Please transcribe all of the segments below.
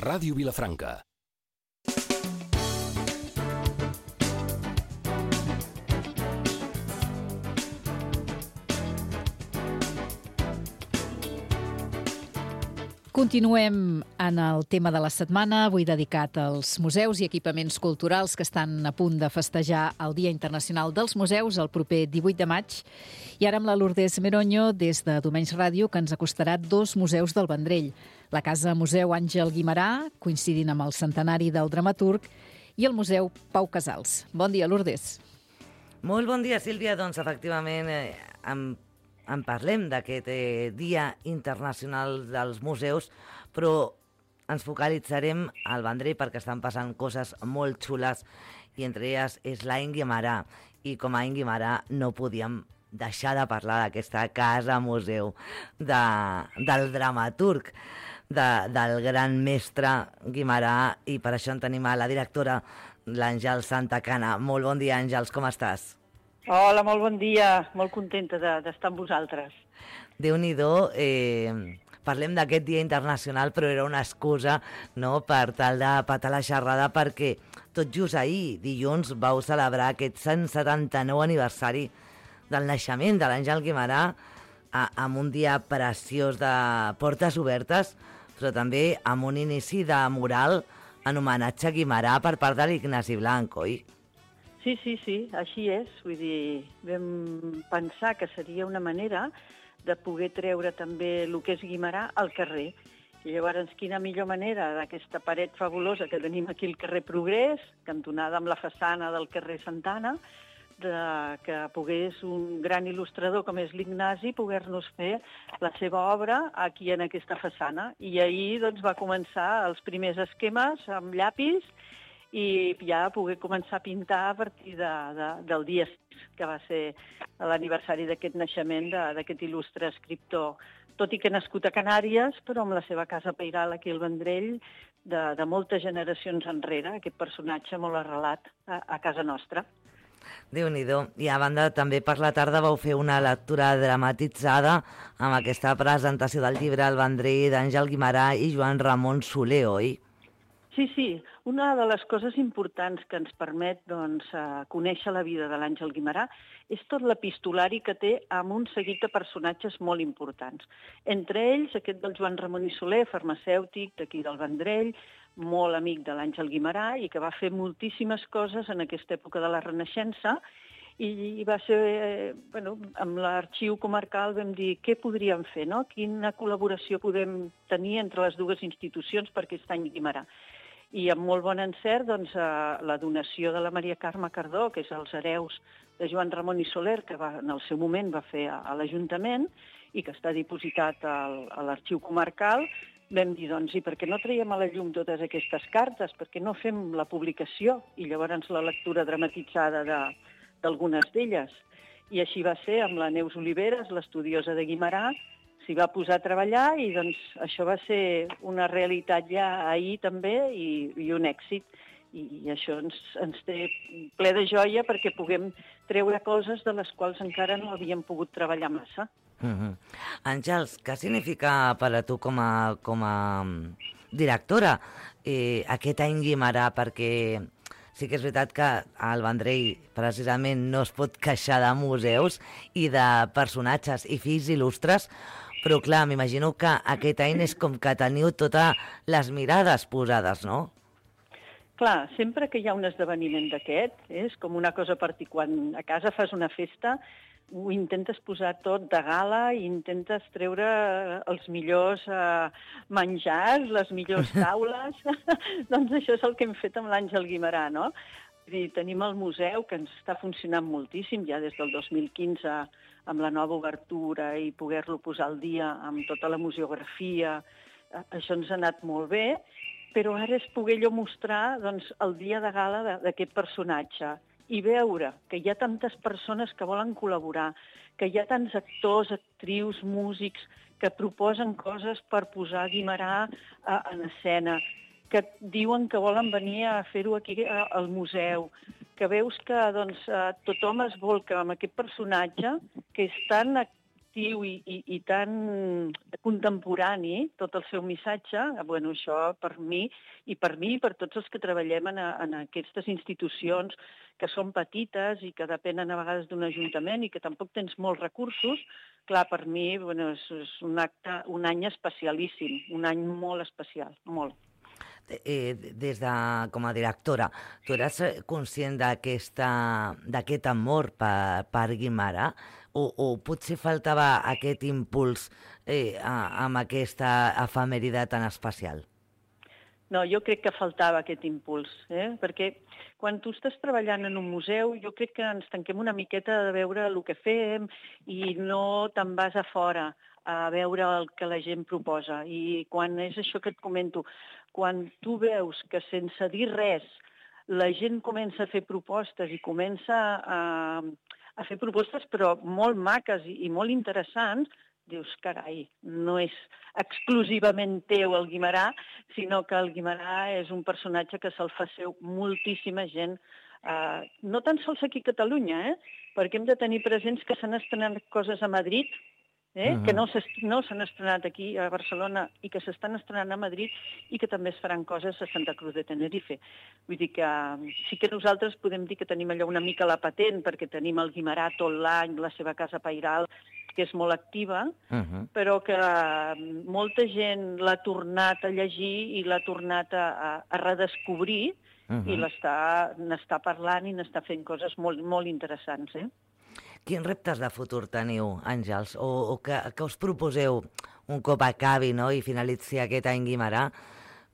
Ràdio Vilafranca. Continuem en el tema de la setmana, avui dedicat als museus i equipaments culturals que estan a punt de festejar el Dia Internacional dels Museus el proper 18 de maig. I ara amb la Lourdes Meroño, des de Domenys Ràdio, que ens acostarà dos museus del Vendrell. La Casa Museu Àngel Guimerà, coincidint amb el centenari del dramaturg, i el Museu Pau Casals. Bon dia, Lourdes. Molt bon dia, Sílvia. Doncs, efectivament, en parlem d'aquest Dia Internacional dels Museus, però ens focalitzarem al Vendrell perquè estan passant coses molt xules i entre elles és l'Any Guimerà. I com a Any Guimerà no podíem deixar de parlar d'aquesta casa museu del dramaturg, del gran mestre Guimerà, i per això en tenim a la directora, l'Àngels Santacana. Molt bon dia, Àngels, com estàs? Hola, molt bon dia. Molt contenta d'estar amb vosaltres. Déu-n'hi-do, parlem d'aquest Dia Internacional, però era una excusa, no?, per tal de patar la xerrada, perquè tot just ahir, dilluns, vau celebrar aquest 179 aniversari del naixement de l'Àngel Guimerà, amb un dia preciós de portes obertes, però també amb un inici de mural en homenatge a Guimerà per part de l'Ignasi Blanc, oi? Sí, així és. Vull dir, vam pensar que seria una manera de poder treure també el que és Guimerà al carrer. I llavors, quina millor manera d'aquesta paret fabulosa que tenim aquí al carrer Progrés, cantonada amb la façana del carrer Santana, que pogués un gran il·lustrador com és l'Ignasi poder-nos fer la seva obra aquí en aquesta façana. I ahir doncs, va començar els primers esquemes amb llapis i ja poder començar a pintar a partir del dia 6, que va ser l'aniversari d'aquest naixement d'aquest il·lustre escriptor, tot i que nascut a Canàries, però amb la seva casa pairal aquí al Vendrell, de moltes generacions enrere, aquest personatge molt arrelat a casa nostra. Déu-n'hi-do. I a banda, també per la tarda vau fer una lectura dramatitzada amb aquesta presentació del llibre El Vendrell d'Àngel Guimerà i Joan Ramon Soler, oi? Sí. Una de les coses importants que ens permet conèixer la vida de l'Àngel Guimerà és tot l'epistolari que té amb un seguit de personatges molt importants. Entre ells, aquest del Joan Ramon i Soler, farmacèutic d'aquí del Vendrell, molt amic de l'Àngel Guimerà i que va fer moltíssimes coses en aquesta època de la Renaixença, i va ser, amb l'arxiu comarcal vam dir què podríem fer, no? Quina col·laboració podem tenir entre les dues institucions per aquest any Guimerà. I amb molt bon encert, la donació de la Maria Carme Cardó, que és els hereus de Joan Ramon i Soler, que en el seu moment va fer a l'Ajuntament i que està dipositat a l'arxiu comarcal, vam dir, i per què no traiem a la llum totes aquestes cartes? Per què no fem la publicació i llavors la lectura dramatitzada d'algunes d'elles? I així va ser amb la Neus Oliveres, l'estudiosa de Guimerà, s'hi va posar a treballar i això va ser una realitat ja ahir també i un èxit. I això ens té ple de joia perquè puguem treure coses de les quals encara no havíem pogut treballar massa. Àngels, què significa per a tu com a directora aquest any Guimerà? Perquè sí que és veritat que el Vendrell precisament no es pot queixar de museus i de personatges i fills il·lustres, però clar, m'imagino que aquest any és com que teniu totes les mirades posades, no? Clar, sempre que hi ha un esdeveniment d'aquest, és com una cosa particular. Quan a casa fas una festa, ho intentes posar tot de gala i intentes treure els millors menjars, les millors taules. Doncs això és el que hem fet amb l'Àngel Guimerà, no? Tenim el museu, que ens està funcionant moltíssim, ja des del 2015, amb la nova obertura i poder-lo posar al dia amb tota la museografia. Això ens ha anat molt bé, però ara és poder mostrar el dia de gala d'aquest personatge i veure que hi ha tantes persones que volen col·laborar, que hi ha tants actors, actrius, músics que proposen coses per posar Guimerà en escena, que diuen que volen venir a fer-ho aquí al museu, que veus que tothom es volca amb aquest personatge que és tan atractiu i tan contemporani, tot el seu missatge, bueno, això per mi i per tots els que treballem en aquestes institucions que són petites i que depenen a vegades d'un ajuntament i que tampoc tens molts recursos, clar, per mi bueno, és un any especialíssim, un any molt especial, molt. Des de, com a directora, tu eres conscient d'aquest amor per Guimerà o potser faltava aquest impuls amb aquesta efemèride tan especial? No, jo crec que faltava aquest impuls, perquè quan tu estàs treballant en un museu, jo crec que ens tanquem una miqueta de veure el que fem i no te'n vas a fora a veure el que la gent proposa. I quan és això que et comento, quan tu veus que sense dir res la gent comença a fer propostes i comença a fer propostes però molt maques i molt interessants, dius, carai, no és exclusivament teu el Guimerà, sinó que el Guimerà és un personatge que se'l fa seu moltíssima gent, no tan sols aquí a Catalunya, perquè hem de tenir presents que s'han estrenat coses a Madrid, que no s'han estrenat aquí a Barcelona i que s'estan estrenant a Madrid i que també es faran coses a Santa Cruz de Tenerife. Vull dir que sí que nosaltres podem dir que tenim allò una mica la patent perquè tenim el Guimerà tot l'any, la seva casa pairal, que és molt activa, però que molta gent l'ha tornat a llegir i l'ha tornat a redescobrir i n'està parlant i n'està fent coses molt, molt interessants, Quins reptes de futur teniu, Àngels? O que us proposeu un cop acabi i finalitzi aquest any Guimerà?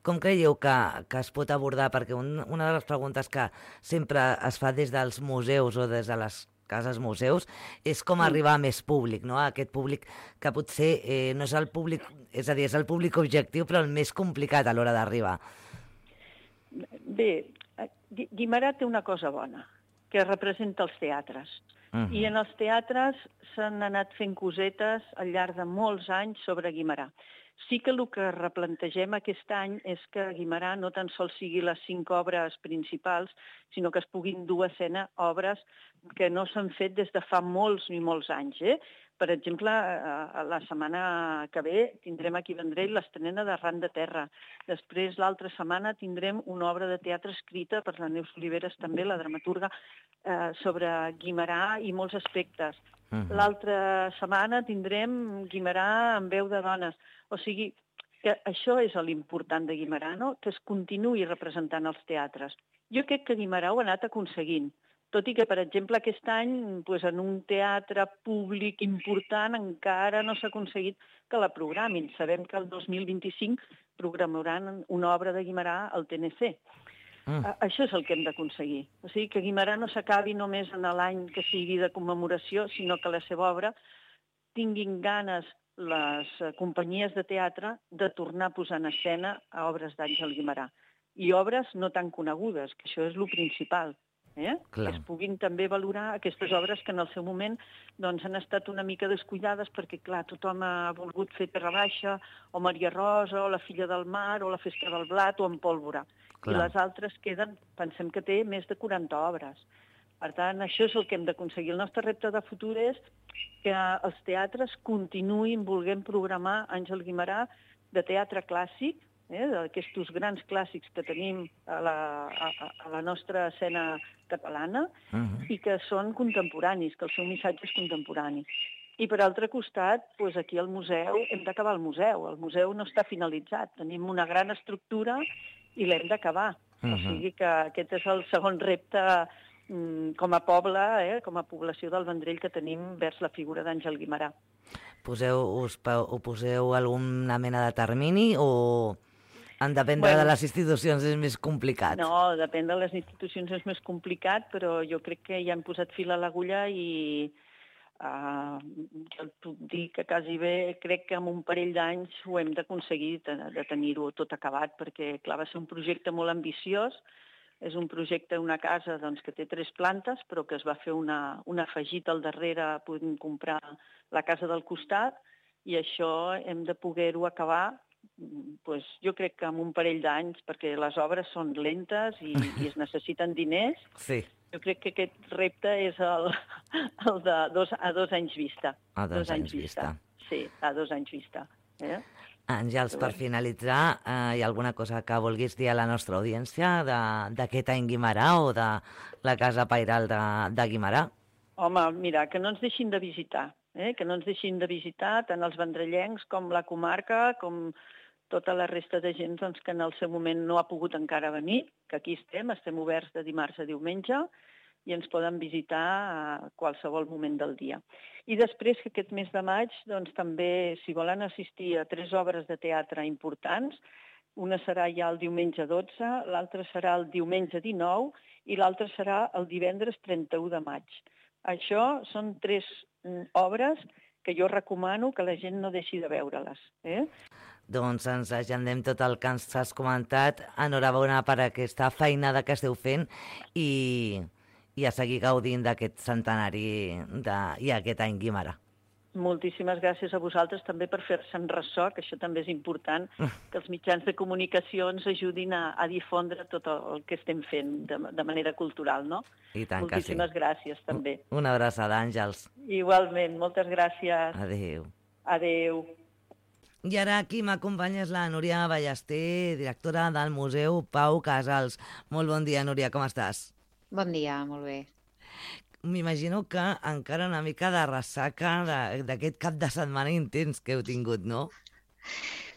Com creieu que es pot abordar? Perquè una de les preguntes que sempre es fa des dels museus o des de les cases museus és com arribar a més públic, aquest públic que potser no és el públic, és a dir, és el públic objectiu, però el més complicat a l'hora d'arribar. Bé, Guimerà té una cosa bona, que representa els teatres. I en els teatres s'han anat fent cosetes al llarg de molts anys sobre Guimerà. Sí que el que replantegem aquest any és que Guimerà no tan sols sigui les 5 obres principals, sinó que es puguin dur a escena obres que no s'han fet des de fa molts i molts anys. Per exemple, la setmana que ve tindrem aquí a Vendrell l'estrena de Ran de Terra. Després, l'altra setmana, tindrem una obra de teatre escrita per la Neus Oliveres, també, la dramaturga, sobre Guimerà i molts aspectes. L'altra setmana tindrem Guimerà en veu de dones. O sigui, que això és l'important de Guimerà, que es continuï representant als teatres. Jo crec que Guimerà ho ha anat aconseguint. Tot i que, per exemple, aquest any, en un teatre públic important encara no s'ha aconseguit que la programin. Sabem que el 2025 programaran una obra de Guimerà al TNC. Això és el que hem d'aconseguir. O sigui, que Guimerà no s'acabi només en l'any que sigui de commemoració, sinó que la seva obra tinguin ganes les companyies de teatre de tornar a posar en escena a obres d'Àngel Guimerà. I obres no tan conegudes, que això és el principal. Que es puguin també valorar aquestes obres que en el seu moment han estat una mica descuidades perquè, clar, tothom ha volgut fer Terra Baixa, o Maria Rosa, o La filla del mar, o La festa del blat, o En pólvora. I les altres queden, pensem que té més de 40 obres. Per tant, això és el que hem d'aconseguir. El nostre repte de futur és que els teatres continuïn volent programar Àngel Guimerà de teatre clàssic, d'aquests grans clàssics que tenim a la nostra escena catalana i que són contemporanis, que el seu missatge és contemporani. I per altre costat, aquí al museu hem d'acabar el museu. El museu no està finalitzat. Tenim una gran estructura i l'hem d'acabar. O sigui que aquest és el segon repte com a poble, com a població del Vendrell que tenim vers la figura d'Àngel Guimerà. Poseu alguna mena de termini o en dependre de les institucions és més complicat? No, depèn de les institucions és més complicat, però jo crec que ja hem posat fil a l'agulla i jo et puc dir que quasi bé crec que en un parell d'anys ho hem d'aconseguir de tenir-ho tot acabat, perquè clar, va ser un projecte molt ambiciós. És un projecte, una casa que té 3 plantes, però que es va fer un afegit al darrere, podem comprar la casa del costat, i això hem de poder-ho acabar, jo crec que en un parell d'anys, perquè les obres són lentes i es necessiten diners. Sí. Jo crec que aquest repte és el de a 2 anys vista. A 2 anys vista. Sí, a 2 anys vista. Àngels, per finalitzar, hi ha alguna cosa que vulguis dir a la nostra audiència d'aquest any Guimerà o de la Casa Pairal de Guimerà? Home, mira, que no ens deixin de visitar, que no ens deixin de visitar tant els vendrellencs com la comarca, com tota la resta de gent doncs, que en el seu moment no ha pogut encara venir, que aquí estem oberts de dimarts a diumenge i ens poden visitar a qualsevol moment del dia. I després que aquest mes de maig doncs, també, si volen assistir a 3 obres de teatre importants, una serà ja el diumenge 12, l'altra serà el diumenge 19 i l'altra serà el divendres 31 de maig. Això són 3 obres que jo recomano que la gent no deixi de veure-les. Doncs ens agendem tot el que ens has comentat. Enhorabona per aquesta feinada que esteu fent i a seguir gaudint d'aquest centenari i aquest any Guimerà. Moltíssimes gràcies a vosaltres també per fer-se'n ressò, que això també és important, que els mitjans de comunicació ens ajudin a difondre tot el que estem fent de manera cultural, no? I tant que sí. Moltíssimes gràcies, també. Una abraçada, Àngels. Igualment, moltes gràcies. Adéu. Adéu. I ara aquí m'acompanya és la Núria Ballester, directora del Museu Pau Casals. Molt bon dia, Núria, com estàs? Bon dia, molt bé. M'imagino que encara una mica de ressaca d'aquest cap de setmana intens que heu tingut, no?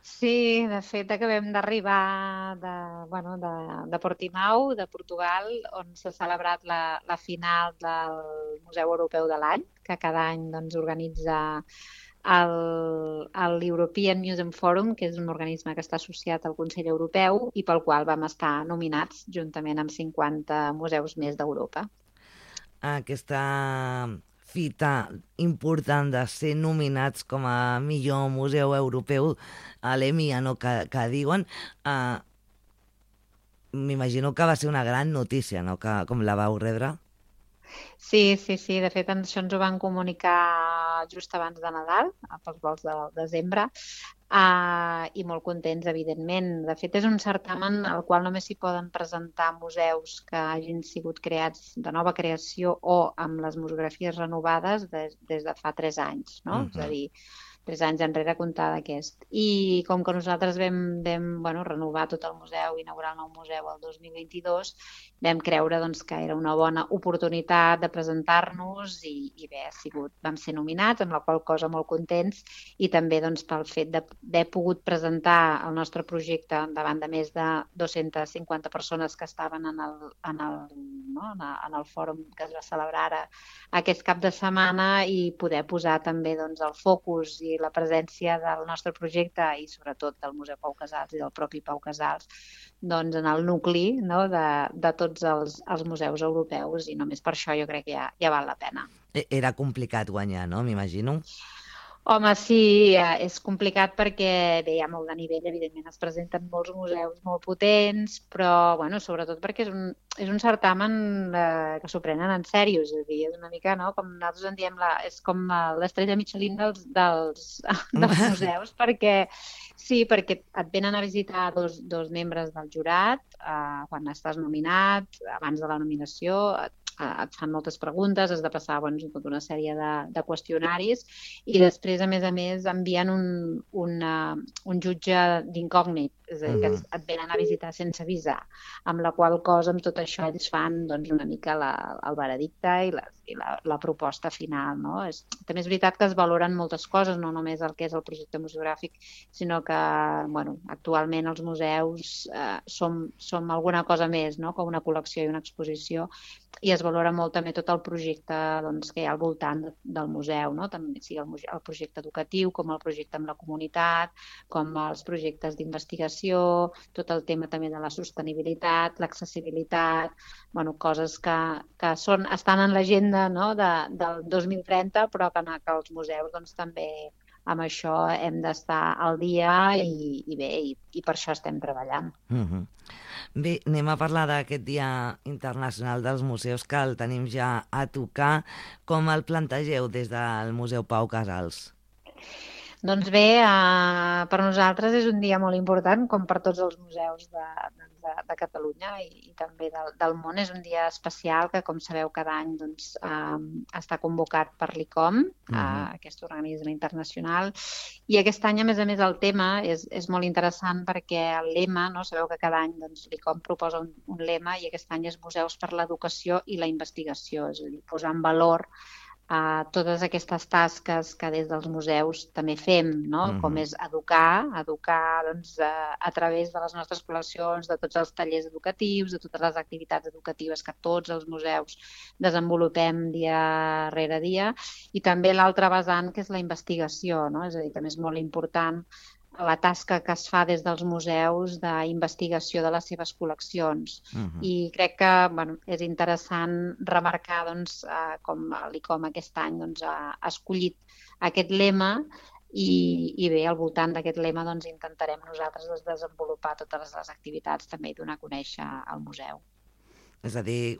Sí, de fet acabem d'arribar de Portimao, de Portugal, on s'ha celebrat la final del Museu Europeu de l'any, que cada any doncs, organitza l'European Museum Forum, que és un organisme que està associat al Consell Europeu i pel qual vam estar nominats juntament amb 50 museus més d'Europa. Aquesta fita important de ser nominats com a millor museu europeu a l'EMIA, no? que diuen, m'imagino que va ser una gran notícia, no? Com la vau rebre. Sí. De fet, això ens ho van comunicar just abans de Nadal, pels vols del desembre, i molt contents, evidentment. De fet, és un certamen al qual només s'hi poden presentar museus que hagin sigut creats de nova creació o amb les museografies renovades des de fa 3 anys, no? És a dir, 3 anys enrere comptar d'aquest. I com que nosaltres vam renovar tot el museu, inaugurar el nou museu el 2022, vam creure doncs, que era una bona oportunitat de presentar-nos i bé, vam ser nominats, amb la qual cosa molt contents, i també doncs, pel fet d'haver pogut presentar el nostre projecte davant de més de 250 persones que estaven en el fòrum que es va celebrar ara aquest cap de setmana i poder posar també doncs, el focus i la presència del nostre projecte i sobretot del Museu Pau Casals i del propi Pau Casals doncs, en el nucli, no, de tots els museus europeus, i només per això jo crec que ja val la pena. Era complicat guanyar, no? M'imagino. Home, sí, és complicat perquè bé, hi ha molt de nivell, evidentment es presenten molts museus molt potents, però sobretot perquè és un certamen que s'ho prenen en sèrio, és a dir, és una mica, no?, com nosaltres en diem, és com l'estrella Michelin dels museus, perquè et venen a visitar dos membres del jurat quan estàs nominat, abans de la nominació, et fan moltes preguntes, has de passar tota una sèrie de qüestionaris i després, a més, envien un jutge d'incògnit, és a dir, que et venen a visitar sense avisar, amb la qual cosa, amb tot això, ells fan una mica el veredicte i la proposta final, no? També és veritat que es valoren moltes coses, no només el que és el projecte museogràfic, sinó que, actualment els museus som alguna cosa més, no?, com una col·lecció i una exposició, i es valora molt també tot el projecte que hi ha al voltant del museu, no? Tant sigui el projecte educatiu com el projecte amb la comunitat, com els projectes d'investigació, tot el tema també de la sostenibilitat, l'accessibilitat, coses que estan en l'agenda, no?, del 2030, però que els museus també amb això hem d'estar al dia i per això estem treballant. Bé, anem a parlar d'aquest Dia Internacional dels Museus, que el tenim ja a tocar. Com el plantegeu des del Museu Pau Casals? Doncs bé, per nosaltres és un dia molt important, com per tots els museus de Catalunya i també del món. És un dia especial que, com sabeu, cada any doncs, està convocat per l'ICOM, aquest organisme internacional. I aquest any, a més, el tema és molt interessant perquè el lema, no? Sabeu que cada any doncs, l'ICOM proposa un lema i aquest any és Museus per l'Educació i la Investigació, és a dir, posar en valor totes aquestes tasques que des dels museus també fem, no? Com és educar doncs, a través de les nostres col·leccions, de tots els tallers educatius, de totes les activitats educatives que tots els museus desenvolupem dia rere dia, i també l'altre vessant, que és la investigació, no? És a dir, també és molt important la tasca que es fa des dels museus d'investigació de les seves col·leccions. I crec que és interessant remarcar doncs, com l'ICOM aquest any doncs, ha escollit aquest lema i bé, al voltant d'aquest lema doncs, intentarem nosaltres desenvolupar totes les activitats també i donar a conèixer al museu. És a dir,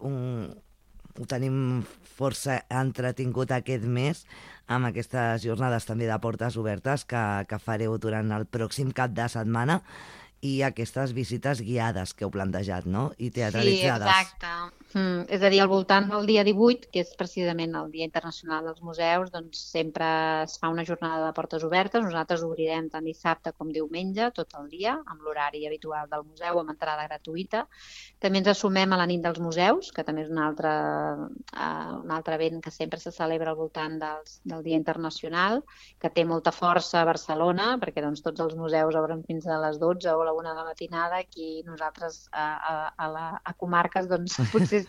ho tenim força entretingut aquest mes amb aquestes jornades també de portes obertes que fareu durant el pròxim cap de setmana i aquestes visites guiades que heu plantejat, no? I teatralitzades. Sí, exacte. És a dir, al voltant del dia 18, que és precisament el Dia Internacional dels Museus, doncs sempre es fa una jornada de portes obertes. Nosaltres obrirem tant dissabte com diumenge, tot el dia, amb l'horari habitual del museu, amb entrada gratuïta. També ens assumem a la nit dels museus, que també és un altre event que sempre se celebra al voltant del Dia Internacional, que té molta força a Barcelona, perquè doncs, tots els museus obren fins a les 12 o a la 1 de la matinada. Aquí nosaltres a comarques doncs, potser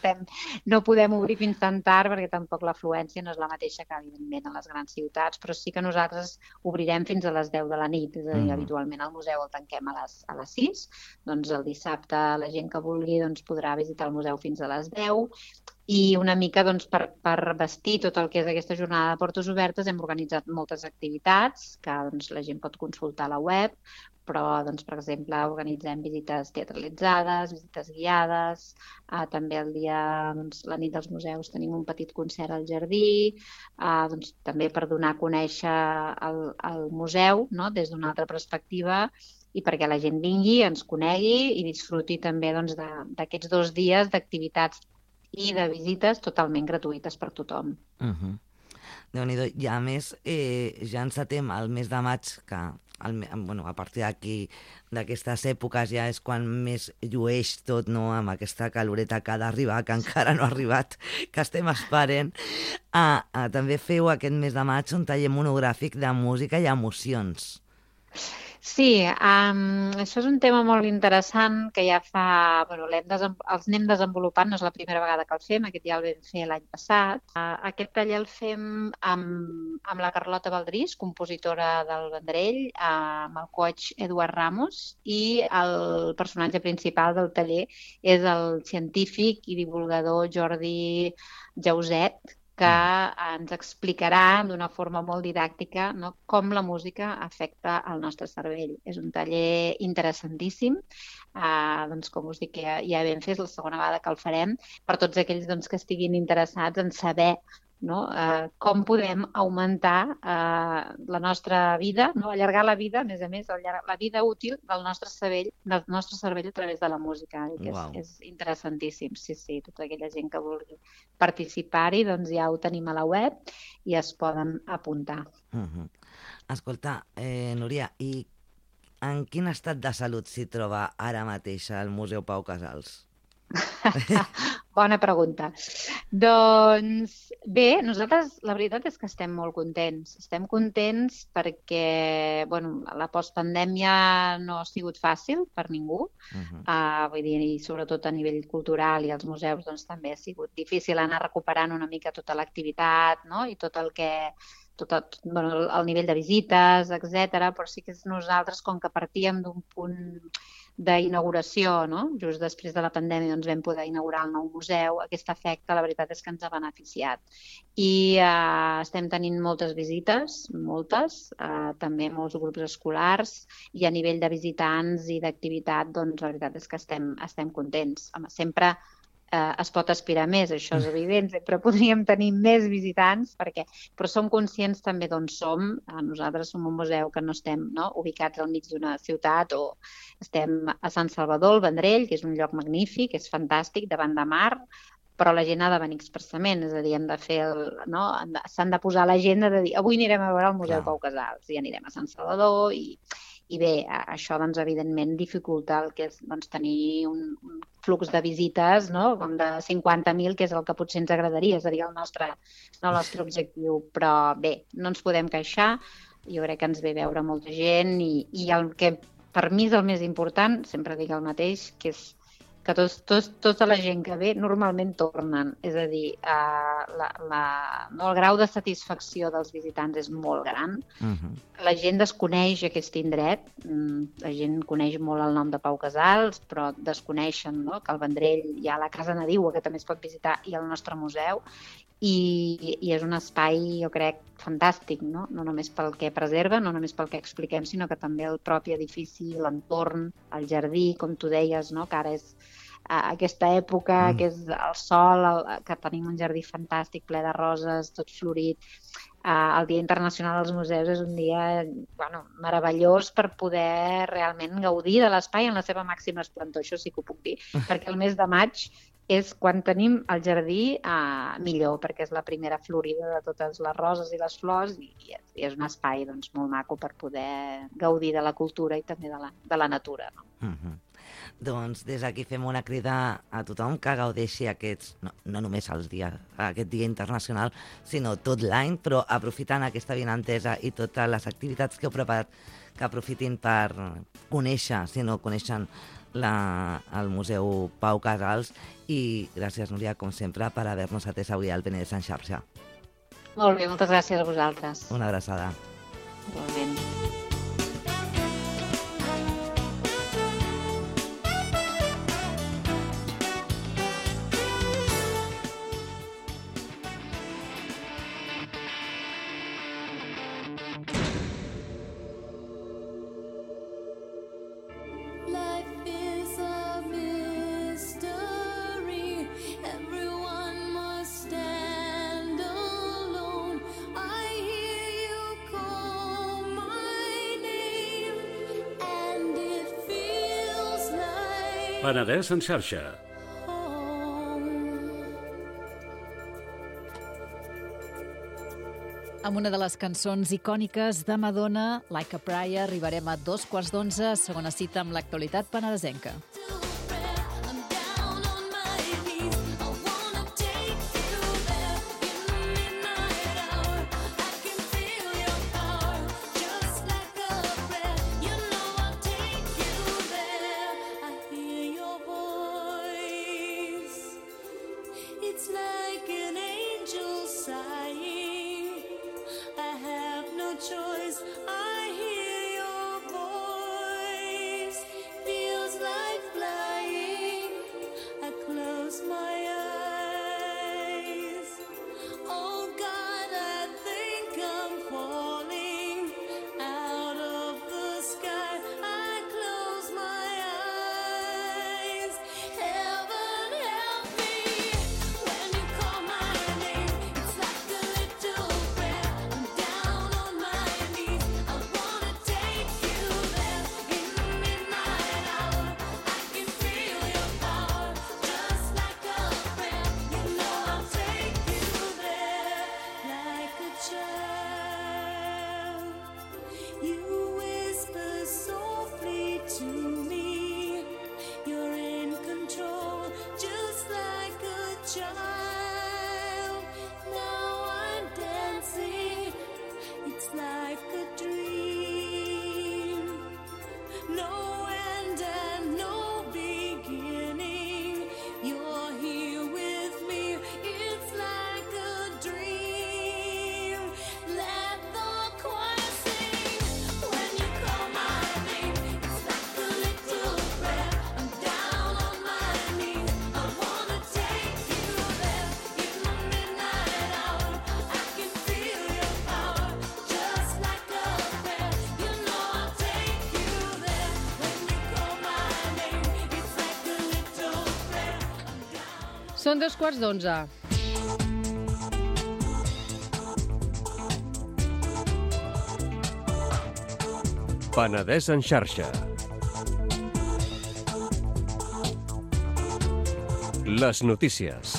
no podem obrir fins tan tard perquè tampoc l'afluència no és la mateixa que evidentment a les grans ciutats, però sí que nosaltres obrirem fins a les 10 de la nit, és a dir, habitualment el museu el tanquem a les 6, doncs el dissabte la gent que vulgui doncs, podrà visitar el museu fins a les 10 i una mica doncs, per vestir tot el que és aquesta jornada de portes obertes hem organitzat moltes activitats que doncs, la gent pot consultar a la web, però, doncs, per exemple, organitzem visites teatralitzades, visites guiades, també el dia, doncs, la nit dels museus tenim un petit concert al jardí, doncs, també per donar a conèixer el museu, no?, des d'una altra perspectiva i perquè la gent vingui, ens conegui i disfruti també doncs, d'aquests 2 dies d'activitats i de visites totalment gratuïtes per tothom. Déu-n'hi-do. I a més, ja encetem el mes de maig, que a partir d'aquí, d'aquestes èpoques, ja és quan més llueix tot, no?, amb aquesta caloreta que ha d'arribar, que encara no ha arribat, que estem esperant. També feu aquest mes de maig un taller monogràfic de música i emocions. Sí, això és un tema molt interessant que ja fa... els anem desenvolupant, no és la primera vegada que el fem, aquest ja el vam fer l'any passat. Aquest taller el fem amb la Carlota Baldrís, compositora del Vendrell, amb el coach Eduard Ramos, i el personatge principal del taller és el científic i divulgador Jordi Jauset, que ens explicarà d'una forma molt didàctica, no?, com la música afecta el nostre cervell. És un taller interessantíssim, doncs, com us dic, ja vam fer, és la segona vegada que el farem, per tots aquells doncs, que estiguin interessats en saber, no?, com podem augmentar la nostra vida, no?, allargar la vida, a més, la vida útil del nostre cervell a través de la música. Que és interessantíssim, sí. Tota aquella gent que vulgui participar-hi, doncs ja ho tenim a la web i es poden apuntar. Escolta, Núria, i en quin estat de salut s'hi troba ara mateix el Museu Pau Casals? Bona pregunta. Doncs bé, nosaltres la veritat és que estem molt contents. Estem contents perquè la postpandèmia no ha sigut fàcil per ningú. Vull dir, i sobretot a nivell cultural i als museus doncs, també ha sigut difícil anar recuperant una mica tota l'activitat, no?, i tot el que... el nivell de visites, etc. Però sí que nosaltres, com que partíem d'un punt d'inauguració, no?, just després de la pandèmia doncs vam poder inaugurar el nou museu, aquest efecte la veritat és que ens ha beneficiat. I estem tenint moltes visites, també molts grups escolars, i a nivell de visitants i d'activitat, doncs la veritat és que estem contents. Sempre es pot aspirar més, això és evident, sempre podríem tenir més visitants, però som conscients també d'on som. Nosaltres som un museu que no estem ubicats al mig d'una ciutat, o estem a Sant Salvador, al Vendrell, que és un lloc magnífic, és fantàstic, davant de mar, però la gent ha de venir expressament, és a dir, s'han de posar a l'agenda de dir avui anirem a veure el Museu Pau Casals i anirem a Sant Salvador i bé, això doncs evidentment dificulta el que és tenir un flux de visites com de 50.000, que és el que potser ens agradaria, seria el nostre objectiu, però bé, no ens podem queixar, jo crec que ens ve veure molta gent i el que per mi és el més important, sempre dic el mateix, que és que tota la gent que ve normalment tornen. És a dir, el grau de satisfacció dels visitants és molt gran. La gent desconeix aquest indret, la gent coneix molt el nom de Pau Casals, però desconeixen que al Vendrell hi ha la Casa Nadiua, que també es pot visitar, i el nostre museu, i és un espai, jo crec, fantàstic, no només pel que preserva, no només pel que expliquem, sinó que també el propi edifici, l'entorn, el jardí, com tu deies, que ara és aquesta època, que és el sol, que tenim un jardí fantàstic, ple de roses, tot florit. El Dia Internacional dels Museus és un dia meravellós per poder realment gaudir de l'espai en la seva màxima esplendor, això sí que ho puc dir, perquè el mes de maig és quan tenim el jardí millor, perquè és la primera florida de totes les roses i les flors i és un espai molt maco per poder gaudir de la cultura i també de la natura. Doncs des d'aquí fem una crida a tothom que gaudeixi no només aquest Dia Internacional, sinó tot l'any, però aprofitant aquesta avinentesa i totes les activitats que heu preparat, que aprofitin per conèixer, si no coneixen el Museu Pau Casals. I gràcies, Núria, com sempre, per haver-nos atès avui al Penedès en xarxa. Molt bé, moltes gràcies a vosaltres. Una abraçada. Igualment. Penedès en xarxa. Amb una de les cançons icòniques de Madonna, Like a Prayer, arribarem a 11:15, segona cita amb l'actualitat penedesenca. Choice, I hear your voice, feels like flight. Són 11:15. Penedès en xarxa. Les notícies.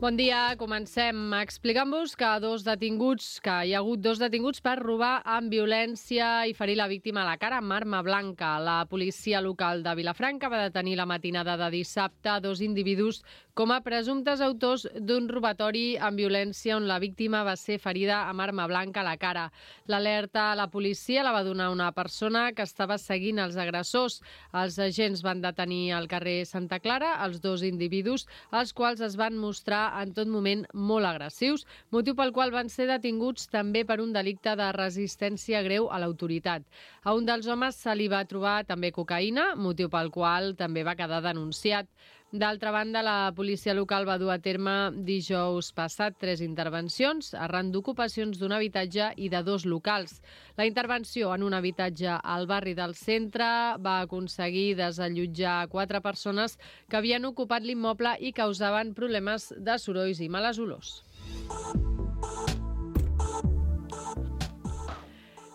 Bon dia, comencem explicant-vos que hi ha hagut dos detinguts per robar amb violència i ferir la víctima a la cara amb arma blanca. La policia local de Vilafranca va detenir la matinada de dissabte dos individus com a presumptes autors d'un robatori amb violència on la víctima va ser ferida amb arma blanca a la cara. L'alerta a la policia la va donar una persona que estava seguint els agressors. Els agents van detenir al carrer Santa Clara els dos individus, els quals es van mostrar en tot moment molt agressius, motiu pel qual van ser detinguts també per un delicte de resistència greu a l'autoritat. A un dels homes se li va trobar també cocaïna, motiu pel qual també va quedar denunciat. D'altra banda, la policia local va dur a terme dijous passat 3 intervencions arran d'ocupacions d'un habitatge i de 2 locals. La intervenció en un habitatge al barri del centre va aconseguir desallotjar 4 persones que havien ocupat l'immoble i causaven problemes de sorolls i males olors.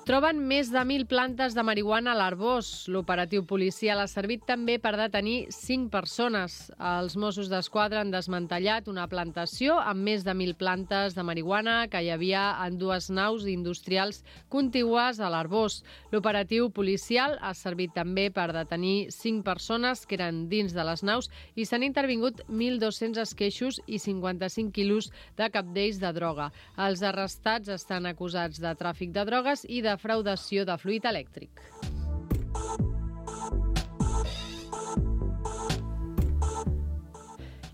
Troben més de 1.000 plantes de marihuana a l'Arboç. L'operatiu policial ha servit també per detenir 5 persones. Els Mossos d'Esquadra han desmantellat una plantació amb més de 1.000 plantes de marihuana que hi havia en 2 naus industrials contigües a l'Arboç. L'operatiu policial ha servit també per detenir 5 persones que eren dins de les naus i s'han intervingut 1.200 esqueixos i 55 quilos de cabdells de droga. Els arrestats estan acusats de tràfic de drogues i de defraudació de fluid elèctric.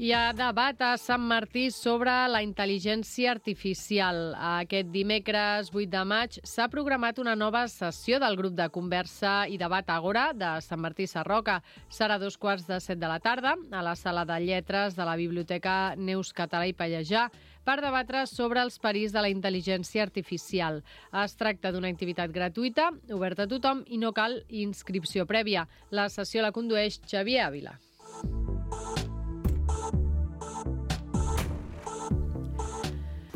Hi ha debat a Sant Martí sobre la intel·ligència artificial. Aquest dimecres 8 de maig s'ha programat una nova sessió del grup de conversa i debat Àgora de Sant Martí Sarroca. Serà a 2:45 de la tarda a la sala de lletres de la Biblioteca Neus Català i Pallejà per debatre sobre els perills de la intel·ligència artificial. Es tracta d'una activitat gratuïta, oberta a tothom i no cal inscripció prèvia. La sessió la condueix Xavier Ávila.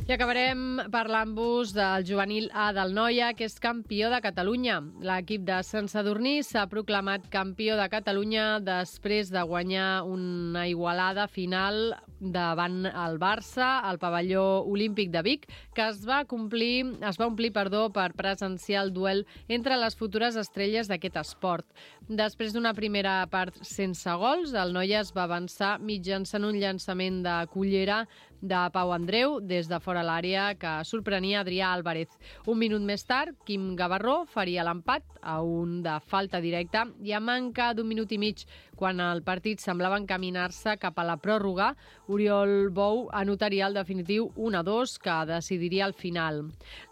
I acabarem parlant-vos del juvenil A del Noia, que és campió de Catalunya. L'equip de Sant Sadurní s'ha proclamat campió de Catalunya després de guanyar una igualada final davant el Barça al pavelló olímpic de Vic, que es va omplir per presenciar el duel entre les futures estrelles d'aquest esport. Després d'una primera part sense gols, el Noia es va avançar mitjançant un llançament de cullera de Pau Andreu des de fora l'àrea que sorprenia Adrià Álvarez. Un minut més tard, Quim Gavarró faria l'empat a un de falta directa i a manca d'un minut i mig, quan el partit semblava encaminar-se cap a la pròrroga, Oriol Bou anotaria el definitiu 1-2 que decidiria el final.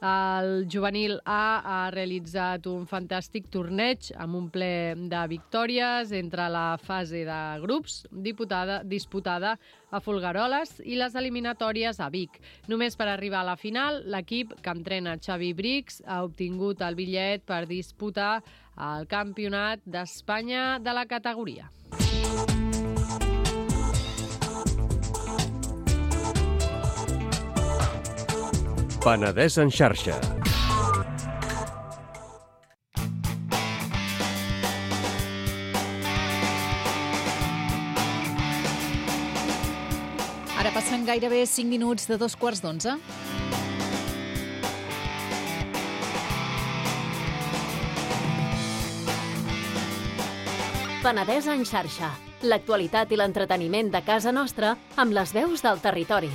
El juvenil A ha realitzat un fantàstic torneig amb un ple de victòries entre la fase de grups disputada a Folgueroles i les eliminatòries a Vic. Només per arribar a la final, l'equip que entrena Xavi Brix ha obtingut el bitllet per disputar el Campionat d'Espanya de la categoria. Penedès en xarxa. Ara passen gairebé 5 minuts de 11:15. Penedès en xarxa. L'actualitat i l'entreteniment de casa nostra amb les veus del territori.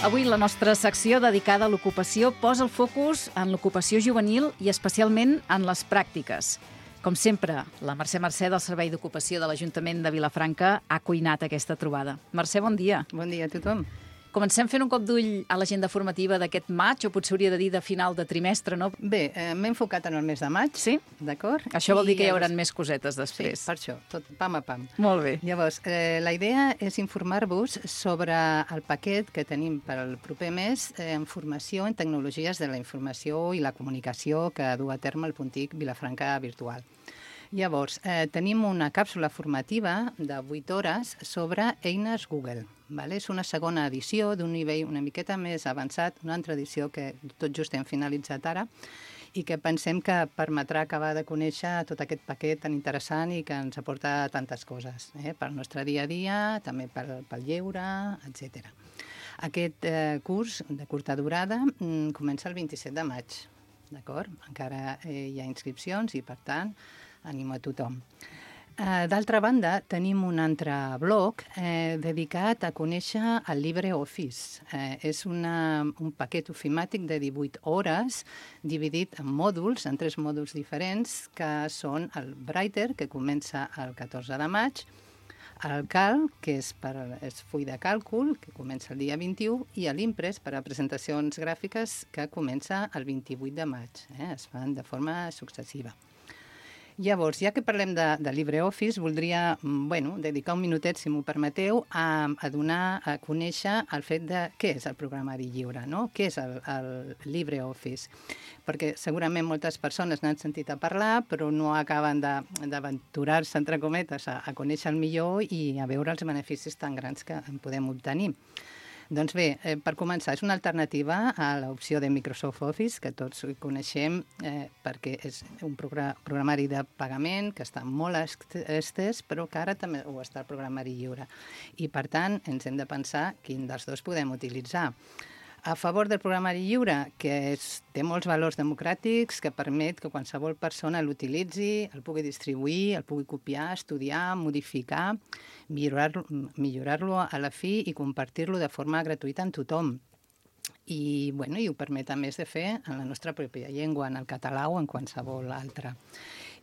Avui la nostra secció dedicada a l'ocupació posa el focus en l'ocupació juvenil i especialment en les pràctiques. Com sempre, la Mercè del Servei d'Ocupació de l'Ajuntament de Vilafranca ha cuinat aquesta trobada. Mercè, bon dia. Bon dia a tothom. Comencem fent un cop d'ull a l'agenda formativa d'aquest maig, o potser hauria de dir de final de trimestre, no? Bé, m'he enfocat en el mes de maig, sí? D'acord? Això vol dir que hi haurà més cosetes després. Sí, per això, tot pam a pam. Molt bé. Llavors, la idea és informar-vos sobre el paquet que tenim per al proper mes en formació en tecnologies de la informació i la comunicació que du a terme el Puntic Vilafranca Virtual. Llavors, tenim una càpsula formativa de 8 hores sobre eines Google. Vale? És una segona edició d'un nivell una miqueta més avançat, una altra edició que tot just hem finalitzat ara, i que pensem que permetrà acabar de conèixer tot aquest paquet tan interessant i que ens aporta tantes coses, pel nostre dia a dia, també pel lleure, etc. Aquest curs de curta durada comença el 27 de maig, d'acord? Encara hi ha inscripcions i, per tant, animo a tothom. D'altra banda, tenim un altre blog dedicat a conèixer el LibreOffice. És un paquet ofimàtic de 18 hores dividit en mòduls, en 3 mòduls diferents, que són el Writer, que comença el 14 de maig, el Calc, que és full de càlcul, que comença el dia 21, i l'Impress, per a presentacions gràfiques, que comença el 28 de maig. Es fan de forma successiva. Llavors, ja que parlem de LibreOffice, voldria dedicar un minutet, si m'ho permeteu, a donar a conèixer el fet de què és el programari lliure, no? Què és el LibreOffice? Perquè segurament moltes persones n'han sentit a parlar, però no acaben d'aventurar-se, entre cometes, a conèixer el millor i a veure els beneficis tan grans que en podem obtenir. Doncs bé, per començar, és una alternativa a l'opció de Microsoft Office, que tots coneixem perquè és un programari de pagament que està molt estès, però que ara també ho està el programari lliure. I, per tant, ens hem de pensar quin dels dos podem utilitzar. A favor del programari lliure, que té molts valors democràtics, que permet que qualsevol persona l'utilitzi, el pugui distribuir, el pugui copiar, estudiar, modificar, millorar-lo a la fi i compartir-lo de forma gratuïta amb tothom. I ho permet, a més, de fer en la nostra pròpia llengua, en el català o en qualsevol altra.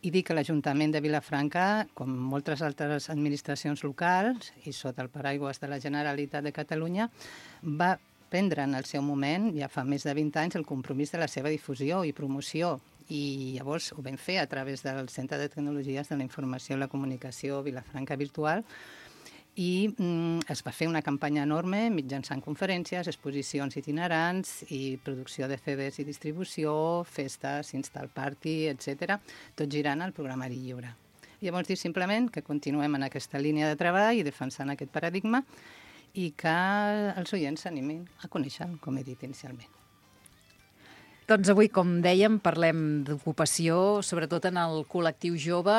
I dir que l'Ajuntament de Vilafranca, com moltes altres administracions locals, i sota el paraigües de la Generalitat de Catalunya, va prendre en el seu moment, ja fa més de 20 anys, el compromís de la seva difusió i promoció. I llavors ho vam fer a través del Centre de Tecnologies de la Informació i la Comunicació Vilafranca Virtual i es va fer una campanya enorme mitjançant conferències, exposicions itinerants i producció de CDs i distribució, festes, install party, etc., tot girant al programari lliure. Llavors dir simplement que continuem en aquesta línia de treball i defensant aquest paradigma i que els oients s'animin a conèixer-lo, com he dit inicialment. Doncs avui, com dèiem, parlem d'ocupació, sobretot en el col·lectiu jove,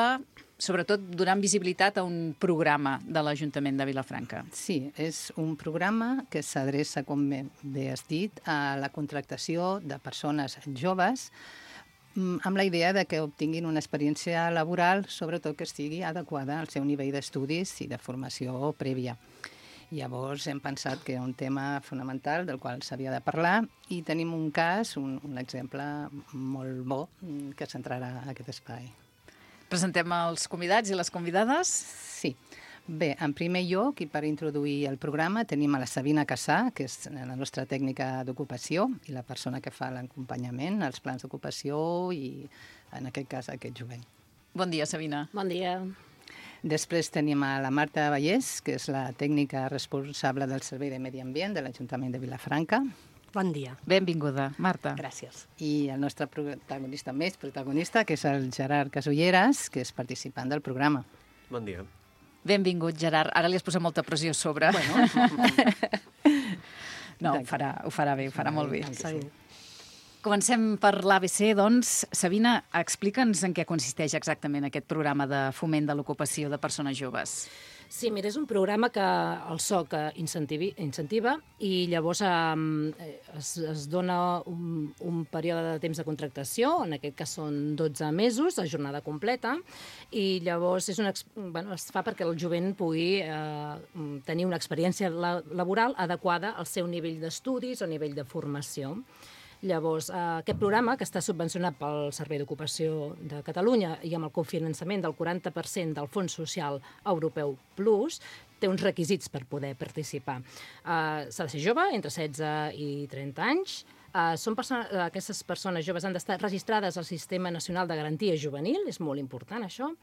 sobretot donant visibilitat a un programa de l'Ajuntament de Vilafranca. Sí, és un programa que s'adreça, com bé has dit, a la contractació de persones joves amb la idea de que obtinguin una experiència laboral, sobretot que estigui adequada al seu nivell d'estudis i de formació prèvia. Llavors hem pensat que era un tema fonamental del qual s'havia de parlar i tenim un cas, un exemple molt bo que centrarà aquest espai. Presentem els convidats i les convidades? Sí. Bé, en primer lloc, i per introduir el programa, tenim a la Sabina Cassà, que és la nostra tècnica d'ocupació i la persona que fa l'acompanyament, els plans d'ocupació i, en aquest cas, aquest jovent. Bon dia, Sabina. Bon dia. Després tenim a la Marta Vallès, que és la tècnica responsable del Servei de Medi Ambient de l'Ajuntament de Vilafranca. Bon dia. Benvinguda, Marta. Gràcies. I el nostre protagonista, que és el Gerard Casulleras, que és participant del programa. Bon dia. Benvingut, Gerard. Ara li has posat molta pressió a sobre. No, ho farà bé, ho farà molt bé. Comencem per l'ABC, doncs. Sabina, explica'ns en què consisteix exactament aquest programa de foment de l'ocupació de persones joves. Sí, mira, és un programa que el SOC incentiva i llavors es dona un període de temps de contractació, en aquest cas són 12 mesos, a jornada completa, i llavors es fa perquè el jovent pugui tenir una experiència laboral adequada al seu nivell d'estudis o nivell de formació. Llavors, aquest programa, que està subvencionat pel Servei d'Ocupació de Catalunya i amb el cofinançament del 40% del Fons Social Europeu Plus, té uns requisits per poder participar. S'ha de ser jove, entre 16 i 30 anys. Aquestes persones joves han d'estar registrades al Sistema Nacional de Garantia Juvenil, és molt important això.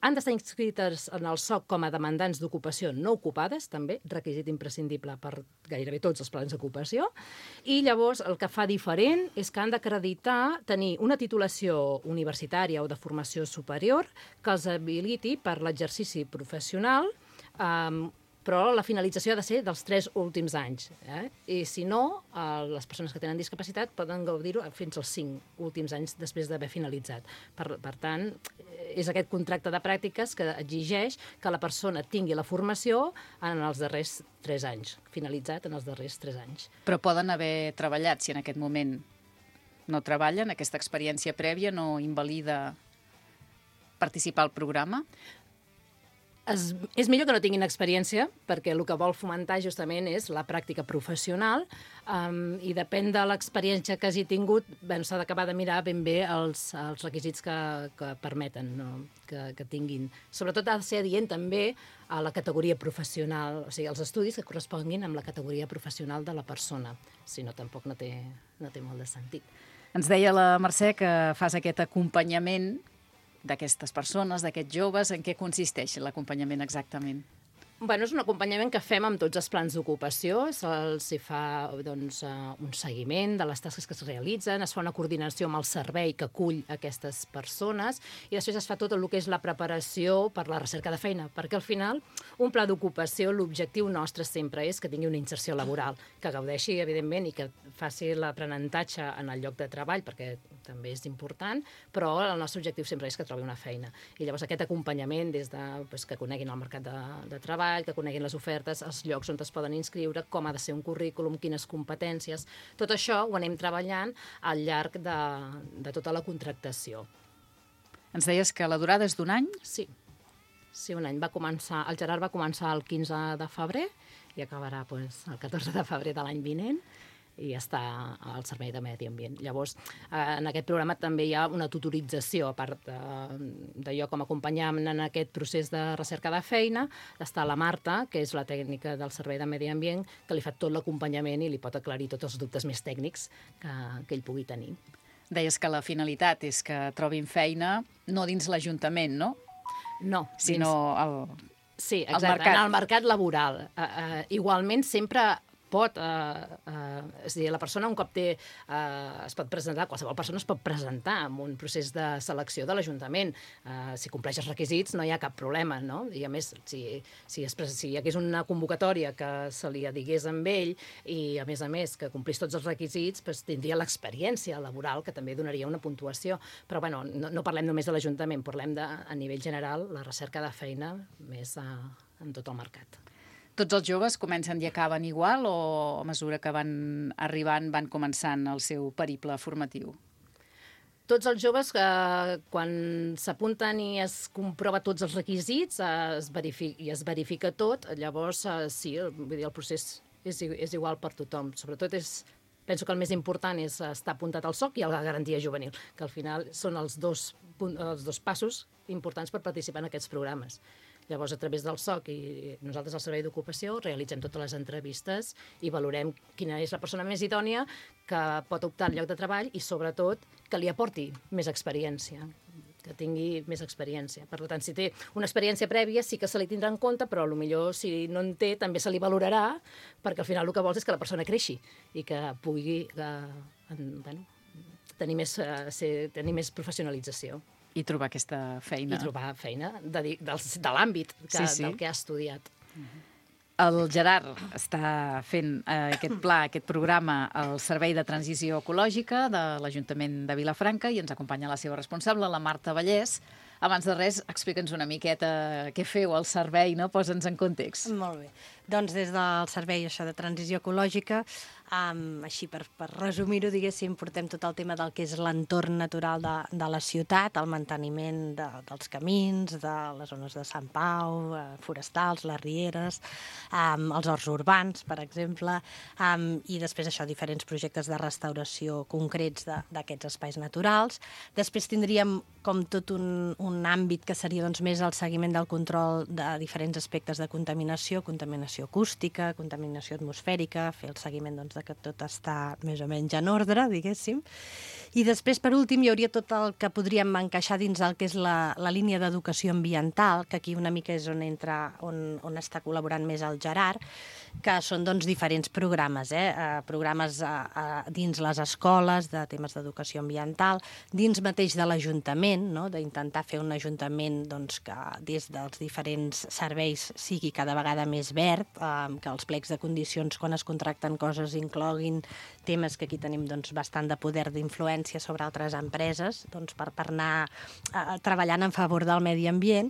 Han d'estar inscrites en el SOC com a demandants d'ocupació no ocupades, també, requisit imprescindible per gairebé tots els plans d'ocupació. I llavors el que fa diferent és que han d'acreditar tenir una titulació universitària o de formació superior que els habiliti per l'exercici professional, però la finalització ha de ser dels 3 últims anys. I si no, les persones que tenen discapacitat poden gaudir-ho fins als 5 últims anys després d'haver finalitzat. Per tant, és aquest contracte de pràctiques que exigeix que la persona tingui la formació en els darrers 3 anys, finalitzat en els darrers 3 anys. Però poden haver treballat, si en aquest moment no treballen, aquesta experiència prèvia no invalida participar al programa? És millor que no tinguin experiència, perquè el que vol fomentar justament és la pràctica professional i depèn de l'experiència que hagi tingut, s'ha d'acabar de mirar ben bé els requisits que permeten que tinguin. Sobretot ha de ser adient també a la categoria professional, o sigui, els estudis que corresponguin amb la categoria professional de la persona. Si no, tampoc no té molt de sentit. Ens deia la Mercè que fas aquest acompanyament d'aquestes persones, d'aquests joves. En què consisteix l'acompanyament exactament? És un acompanyament que fem amb tots els plans d'ocupació. Se'ls fa un seguiment de les tasques que es realitzen, es fa una coordinació amb el servei que acull aquestes persones i després es fa tot el que és la preparació per la recerca de feina, perquè al final un pla d'ocupació, l'objectiu nostre sempre és que tingui una inserció laboral, que gaudeixi, evidentment, i que faci l'aprenentatge en el lloc de treball, perquè també és important, però el nostre objectiu sempre és que trobi una feina. I llavors aquest acompanyament des de que coneguin el mercat de treball, que coneguin les ofertes, els llocs on es poden inscriure, com ha de ser un currículum, quines competències. Tot això ho anem treballant al llarg de tota la contractació. Ens deies que la durada és d'1 any? Sí, un any. El Gerard va començar el 15 de febrer i acabarà el 14 de febrer de l'any vinent i està al Servei de Medi Ambient. Llavors, en aquest programa també hi ha una tutorització, a part de jo com a acompanyant en aquest procés de recerca de feina, està la Marta, que és la tècnica del Servei de Medi Ambient, que li fa tot l'acompanyament i li pot aclarir tots els dubtes més tècnics que ell pugui tenir. Deies que la finalitat és que trobin feina no dins l'Ajuntament, no? No. Sinó sí, exacte, en el mercat laboral. Igualment, sempre pot, és a dir, la persona un cop es pot presentar, qualsevol persona es pot presentar en un procés de selecció de l'Ajuntament. Si compleix els requisits no hi ha cap problema, no? I a més, si hi hagués una convocatòria que se li digués amb ell i a més que complís tots els requisits, tindria l'experiència laboral, que també donaria una puntuació. Però bueno, no parlem només de l'Ajuntament, parlem a nivell general la recerca de feina més en tot el mercat. Tots els joves comencen i acaben igual o a mesura que van arribant van començant el seu periple formatiu? Tots els joves, quan s'apunten i es comprova tots els requisits i es verifica tot, llavors sí, el procés és igual per tothom. Sobretot penso que el més important és estar apuntat al SOC i a la garantia juvenil, que al final són els dos passos importants per participar en aquests programes. Llavors, a través del SOC i nosaltres al Servei d'Ocupació realitzem totes les entrevistes i valorem quina és la persona més idònia que pot optar al lloc de treball i, sobretot, que li aporti més experiència, que tingui més experiència. Per tant, si té una experiència prèvia sí que se li tindrà en compte, però potser si no en té també se li valorarà, perquè al final el que vols és que la persona creixi i que pugui tenir més professionalització. I trobar aquesta feina. I trobar feina de l'àmbit del que ha estudiat. El Gerard està fent aquest pla, aquest programa al Servei de Transició Ecològica de l'Ajuntament de Vilafranca i ens acompanya la seva responsable, la Marta Vallès. Abans de res, explica'ns una miqueta què feu al servei, no? Posa'ns en context. Molt bé. Doncs des del servei de transició ecològica, així per resumir-ho, diguéssim, portem tot el tema del que és l'entorn natural de la ciutat, el manteniment dels camins, de les zones de Sant Pau, forestals, les rieres, els horts urbans, per exemple, i després diferents projectes de restauració concrets d'aquests espais naturals. Després tindríem com tot un àmbit que seria més el seguiment del control de diferents aspectes de contaminació acústica, contaminació atmosfèrica, fer el seguiment de que tot està més o menys en ordre, diguéssim. I després, per últim, hi hauria tot el que podríem encaixar dins el que és la línia d'educació ambiental, que aquí una mica és on està col·laborant més el Gerard, que són doncs, diferents programes, programes dins les escoles de temes d'educació ambiental, dins mateix de l'Ajuntament, no? D'intentar fer un ajuntament doncs, que des dels diferents serveis sigui cada vegada més verd, que els plecs de condicions quan es contracten coses incloguin temes que aquí tenim doncs, bastant de poder d'influència sobre altres empreses doncs, per anar treballant en favor del medi ambient,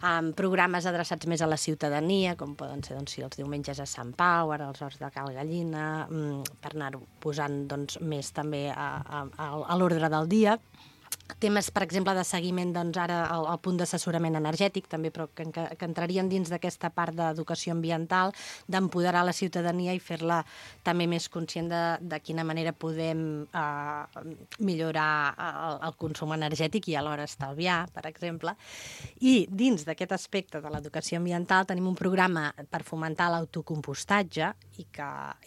amb programes adreçats més a la ciutadania, com poden ser doncs, si els diumenges a Sant Pau, ara els horts de Cal Gallina, per anar-ho posant doncs, més també a l'ordre del dia. Temes, per exemple, de seguiment, doncs ara al punt d'assessorament energètic, també, però que entrarien dins d'aquesta part d'educació ambiental, d'empoderar la ciutadania i fer-la també més conscient de quina manera podem millorar el consum energètic i alhora estalviar, per exemple. I dins d'aquest aspecte de l'educació ambiental tenim un programa per fomentar l'autocompostatge i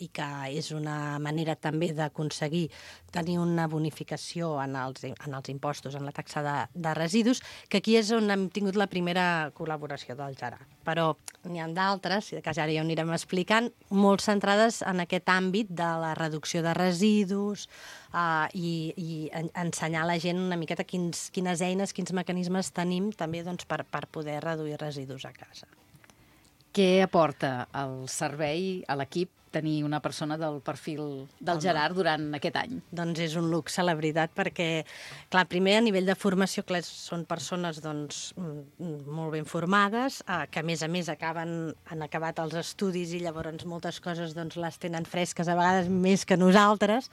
que és una manera també d'aconseguir tenir una bonificació en els impostos, en la taxa de residus, que aquí és on hem tingut la primera col·laboració del Gerard. Però n'hi ha d'altres, si de cas ara ja ho anirem explicant, molt centrades en aquest àmbit de la reducció de residus i ensenyar a la gent una miqueta quines eines, quins mecanismes tenim també doncs, per poder reduir residus a casa. Què aporta el servei a l'equip tenir una persona del perfil del Gerard durant aquest any? Doncs és un luxe, la veritat, perquè, clar, primer a nivell de formació, clar, són persones doncs, molt ben formades, que a més han acabat els estudis i llavors moltes coses doncs, les tenen fresques, a vegades més que nosaltres.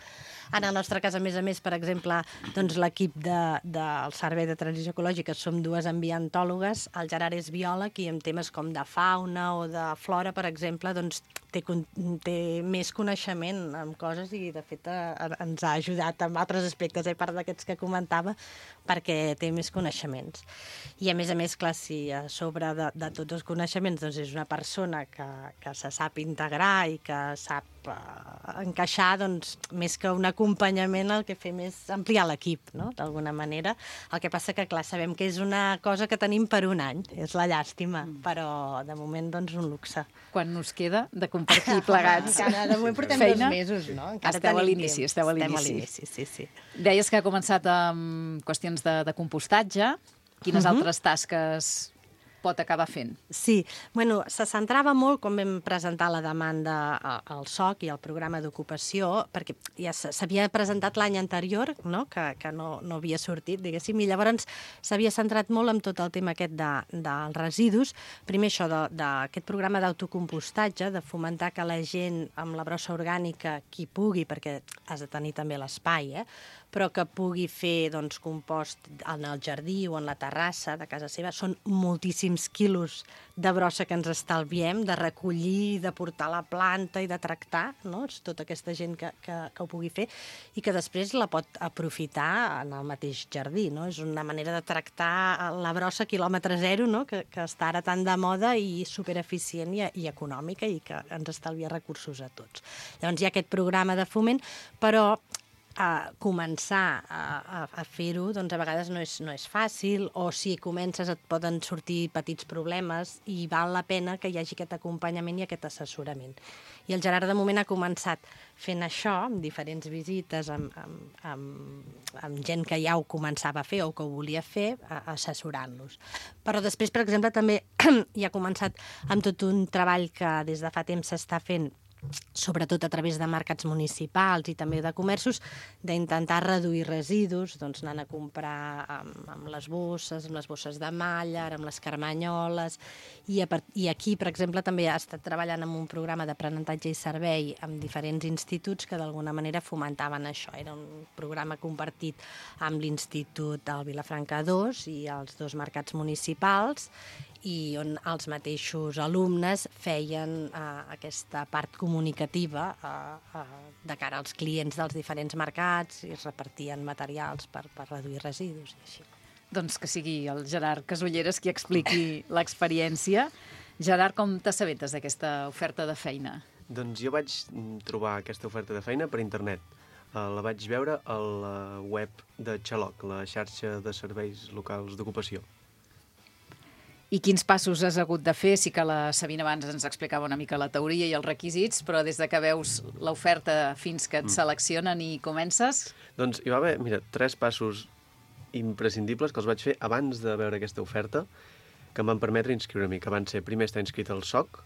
En el nostre cas, a més, per exemple, doncs, l'equip del Servei de Transició Ecològica som dues ambientòlogues, el Gerard és biòleg i en temes com de fauna o de flora, per exemple, doncs, té més coneixement en coses i, de fet, ens ha ajudat en altres aspectes, a part d'aquests que comentava, perquè té més coneixements. I, a més, clar, si a sobre de tots els coneixements doncs és una persona que se sap integrar i que sap encaixar, doncs, més que un acompanyament, el que fem és ampliar l'equip, no?, d'alguna manera. El que passa que, clar, sabem que és una cosa que tenim per un any, és la llàstima, però, de moment, doncs, un luxe. Quan us queda de compartir plegats feina? De moment portem 2 mesos, no? Esteu a l'inici, sí. Deies que ha començat amb qüestions de compostatge. Quines altres tasques pot acabar fent? Sí, bueno, se centrava molt quan vam presentar la demanda al SOC i al programa d'ocupació, perquè ja s'havia presentat l'any anterior, no? Que no havia sortit, diguéssim, i llavors s'havia centrat molt en tot el tema aquest dels residus. Primer això, d'aquest programa d'autocompostatge, de fomentar que la gent amb la brossa orgànica, qui pugui, perquè has de tenir també l'espai, però que pugui fer doncs, compost en el jardí o en la terrassa de casa seva. Són moltíssims quilos de brossa que ens estalviem, de recollir, de portar a la planta i de tractar, no? Tota aquesta gent que ho pugui fer i que després la pot aprofitar en el mateix jardí, no? És una manera de tractar la brossa quilòmetre zero, no? Que està ara tan de moda i supereficient i econòmica i que ens estalvia recursos a tots. Llavors hi ha aquest programa de foment, però començar a fer-ho doncs a vegades no és fàcil, o si comences et poden sortir petits problemes i val la pena que hi hagi aquest acompanyament i aquest assessorament. I el Gerard de moment ha començat fent això, amb diferents visites, amb gent que ja ho començava a fer o que ho volia fer, assessorant-los. Però després, per exemple, també hi ha començat amb tot un treball que des de fa temps s'està fent, sobretot a través de mercats municipals i també de comerços, d'intentar reduir residus, doncs anant a comprar amb les bosses de malla, amb les carmanyoles, i aquí, per exemple, també ha estat treballant en un programa d'aprenentatge i servei amb diferents instituts que d'alguna manera fomentaven això. Era un programa compartit amb l'Institut del Vilafranca 2 i els 2 mercats municipals, i on els mateixos alumnes feien aquesta part comunicativa de cara als clients dels diferents mercats i es repartien materials per reduir residus i així. Doncs que sigui el Gerard Casulleres qui expliqui l'experiència. Gerard, com t'assabentes d'aquesta oferta de feina? Doncs jo vaig trobar aquesta oferta de feina per internet. la vaig veure a la web de Xaloc, la xarxa de serveis locals d'ocupació. I quins passos has hagut de fer? Sí que la Sabina abans ens explicava una mica la teoria i els requisits, però des de que veus l'oferta fins que et seleccionen i comences... Doncs hi va haver, 3 passos imprescindibles que els vaig fer abans de veure aquesta oferta, que em van permetre inscriure-m'hi, que van ser primer estar inscrit al SOC,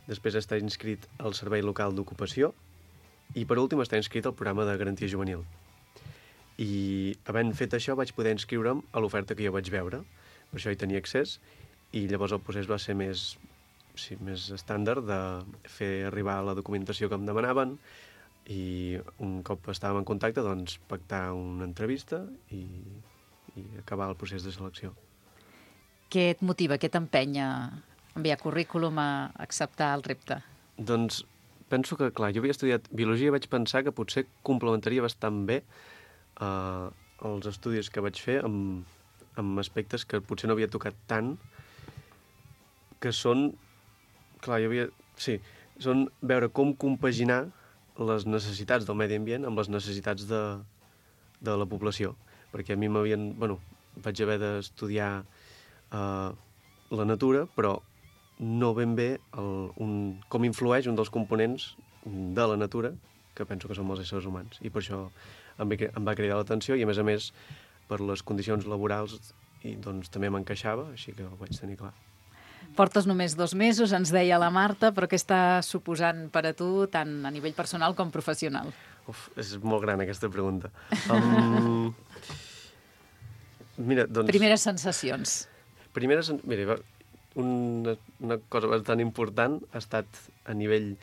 després estar inscrit al Servei Local d'Ocupació i, per últim, estar inscrit al programa de Garantia Juvenil. I, havent fet això, vaig poder inscriure'm a l'oferta que jo vaig veure. Per això hi tenia accés i llavors el procés va ser més estàndard de fer arribar la documentació que em demanaven i un cop estàvem en contacte, doncs, pactar una entrevista i acabar el procés de selecció. Què et motiva, què t'empenya a enviar currículum a acceptar el repte? Doncs penso que, clar, jo havia estudiat biologia i vaig pensar que potser complementaria bastant bé els estudis que vaig fer amb aspectes que potser no havia tocat tant, que són, clar, són veure com compaginar les necessitats del medi ambient amb les necessitats de la població. Perquè a mi vaig haver d'estudiar la natura, però no ben bé com influeix un dels components de la natura, que penso que som els éssers humans. I per això em va cridar l'atenció i, a més, per les condicions laborals doncs també m'encaixava, així que ho vaig tenir clar. Portes només 2 mesos, ens deia la Marta, però què està suposant per a tu, tant a nivell personal com professional? És molt gran aquesta pregunta. Primeres sensacions. Una cosa bastant important ha estat a nivell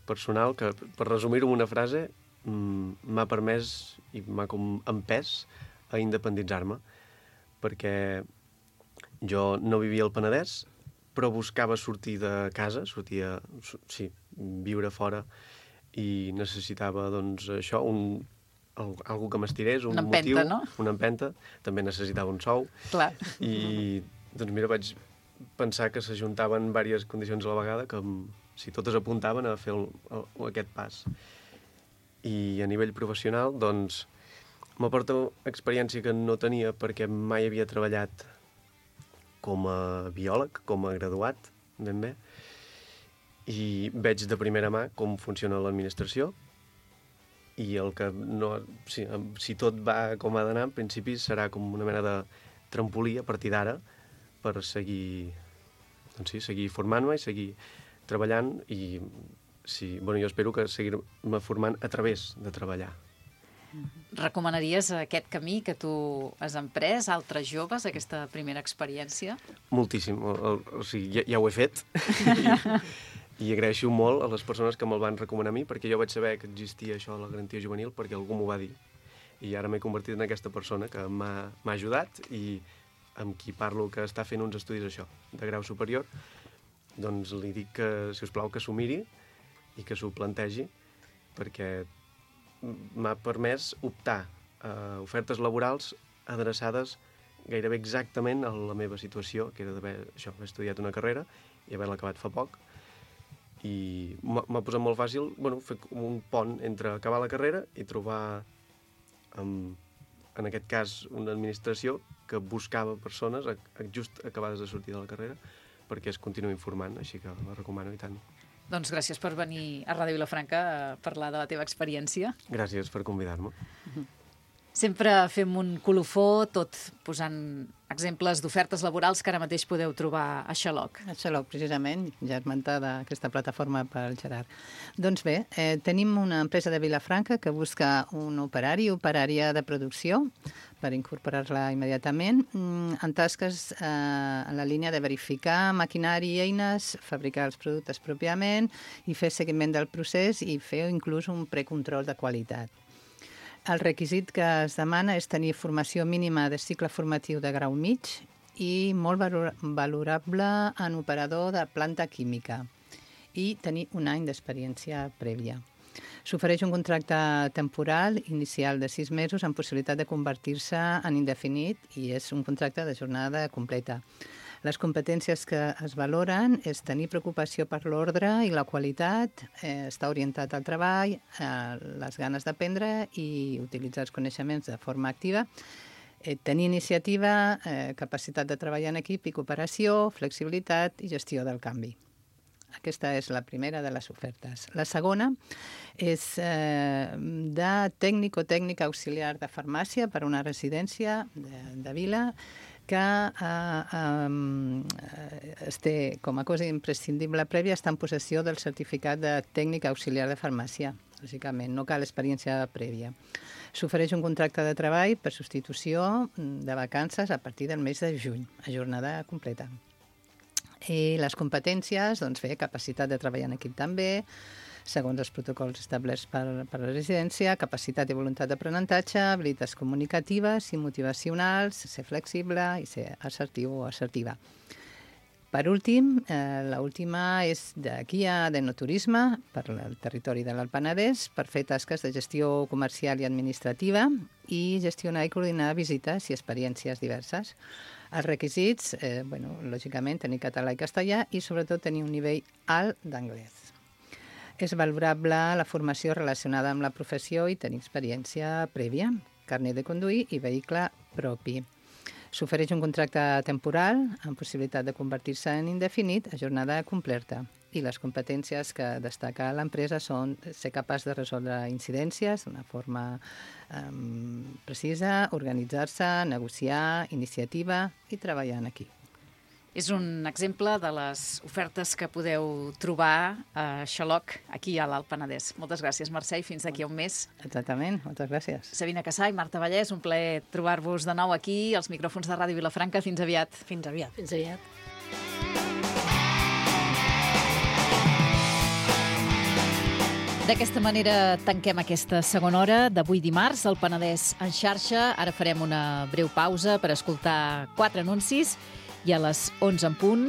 personal, que per resumir-ho en una frase, m'ha permès i m'ha empès a independitzar-me, perquè jo no vivia al Penedès, però buscava sortir de casa, viure fora, i necessitava, doncs, això, algú que m'estirés, un motiu, no? Una empenta, també necessitava un sou. Clar. I, doncs, vaig pensar que s'ajuntaven diverses condicions a la vegada que, si totes apuntaven a fer aquest pas. I a nivell professional, doncs, m'aporta experiència que no tenia perquè mai havia treballat com a biòleg, com a graduat, ben bé, i veig de primera mà com funciona l'administració i si tot va com ha d'anar, en principi serà com una mena de trampolí a partir d'ara per seguir formant-me i seguir treballant i jo espero que seguir-me formant a través de treballar. Recomanaries aquest camí que tu has emprès a altres joves, aquesta primera experiència? Moltíssim. Ja ho he fet i agraeixo molt a les persones que me'l van recomanar a mi, perquè jo vaig saber que existia això de la garantia juvenil perquè algú m'ho va dir. I ara m'he convertit en aquesta persona que m'ha ajudat i amb qui parlo que està fent uns estudis de grau superior, doncs li dic que, si us plau, que s'ho miri i que s'ho plantegi, perquè m'ha permès optar a ofertes laborals adreçades gairebé exactament a la meva situació, que era d'haver estudiat una carrera i haver-la acabat fa poc. I m'ha posat molt fàcil fer un pont entre acabar la carrera i trobar, en aquest cas, una administració que buscava persones just acabades de sortir de la carrera perquè es continuïn formant, així que la recomano i tant. Doncs gràcies per venir a Ràdio Vilafranca a parlar de la teva experiència. Gràcies per convidar-me. Sempre fem un colofó, tot posant exemples d'ofertes laborals que ara mateix podeu trobar a Xaloc. A Xaloc, precisament, ja esmentada aquesta plataforma pel Gerard. Doncs bé, tenim una empresa de Vilafranca que busca un operària de producció per incorporar-la immediatament en tasques en la línia de verificar maquinari i eines, fabricar els productes pròpiament i fer seguiment del procés i fer inclús un precontrol de qualitat. El requisit que es demana és tenir formació mínima de cicle formatiu de grau mig i molt valorable en operador de planta química i tenir un any d'experiència prèvia. S'ofereix un contracte temporal inicial de 6 mesos amb possibilitat de convertir-se en indefinit i és un contracte de jornada completa. Les competències que es valoren és tenir preocupació per l'ordre i la qualitat, estar orientat al treball, les ganes d'aprendre i utilitzar els coneixements de forma activa, tenir iniciativa, capacitat de treballar en equip i cooperació, flexibilitat i gestió del canvi. Aquesta és la primera de les ofertes. La segona és de tècnic o tècnica auxiliar de farmàcia per a una residència de Vila que es té com a cosa imprescindible prèvia estar en possessió del certificat de tècnic auxiliar de farmàcia. Lògicament, no cal experiència prèvia. S'ofereix un contracte de treball per substitució de vacances a partir del mes de juny, a jornada completa. I les competències, doncs bé, capacitat de treballar en equip també, segons els protocols establerts per la residència, capacitat i voluntat d'aprenentatge, habilitats comunicatives i motivacionals, ser flexible i ser assertiu o assertiva. Per últim, l'última és de guia d'enoturisme per al territori de l'Alt Penedès per fer tasques de gestió comercial i administrativa i gestionar i coordinar visites i experiències diverses. Els requisits, lògicament, tenir català i castellà i, sobretot, tenir un nivell alt d'anglès. És valorable la formació relacionada amb la professió i tenir experiència prèvia, carnet de conduir i vehicle propi. S'ofereix un contracte temporal amb possibilitat de convertir-se en indefinit a jornada completa. I les competències que destaca l'empresa són ser capaç de resoldre incidències d'una forma precisa, organitzar-se, negociar, iniciativa i treballar en equip. És un exemple de les ofertes que podeu trobar a Xaloc, aquí a l'Alt Penedès. Moltes gràcies, Mercè, i fins d'aquí a un mes. Exactament, moltes gràcies. Sabina Cassà i Marta Vallès, un plaer trobar-vos de nou aquí, als micròfons de Ràdio Vilafranca. Fins aviat. Fins aviat. Fins aviat. D'aquesta manera tanquem aquesta segona hora d'avui dimarts, al Penedès en xarxa. Ara farem una breu pausa per escoltar 4 anuncis i a les 11 en punt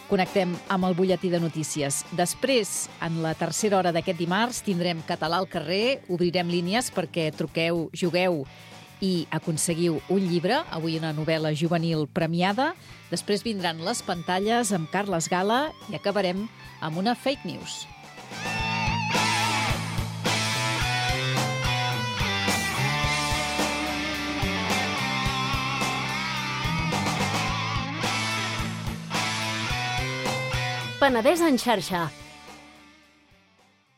connectem amb el butlletí de notícies. Després, en la tercera hora d'aquest dimarts, tindrem Català al carrer, obrirem línies perquè truqueu, jugueu i aconseguiu un llibre, avui una novel·la juvenil premiada. Després vindran les pantalles amb Carles Gala i acabarem amb una fake news. Penedès en xarxa,